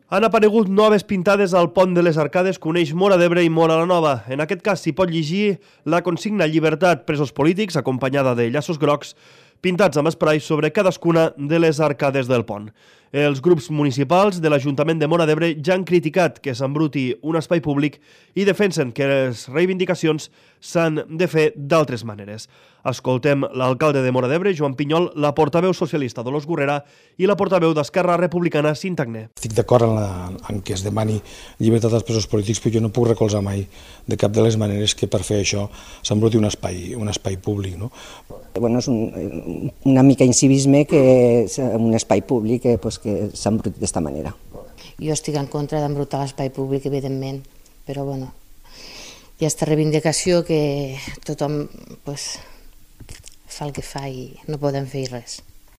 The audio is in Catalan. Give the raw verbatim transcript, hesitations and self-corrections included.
Han aparegut noves pintades al pont de les Arcades que uneix Móra d'Ebre i Móra la Nova. En aquest cas s'hi pot llegir la consigna Llibertat, presos polítics, acompanyada de llaços grocs pintats amb esprai sobre cadascuna de les arcades del pont. Els grups municipals de l'Ajuntament de Móra d'Ebre ja han criticat que s'embruti un espai públic i defensen que les reivindicacions s'han de fer d'altres maneres. Escoltem l'alcalde de Móra d'Ebre, Joan Pinyol, la portaveu socialista Dolors Gurrera i la portaveu d'Esquerra Republicana, Cinta Agné. Estic d'acord en, la, en que es demani llibertat als presos polítics, però jo no puc recolzar mai de cap de les maneres que per fer això s'embruti un espai, un espai públic. No? Bueno, és un, una mica incivisme que és un espai públic que, pues, que s'embruti d'esta manera. Jo estic en contra d'embrutar l'espai públic, evidentment, però bueno, hi ha aquesta reivindicació que tothom pues, fa el que fa i no podem fer res.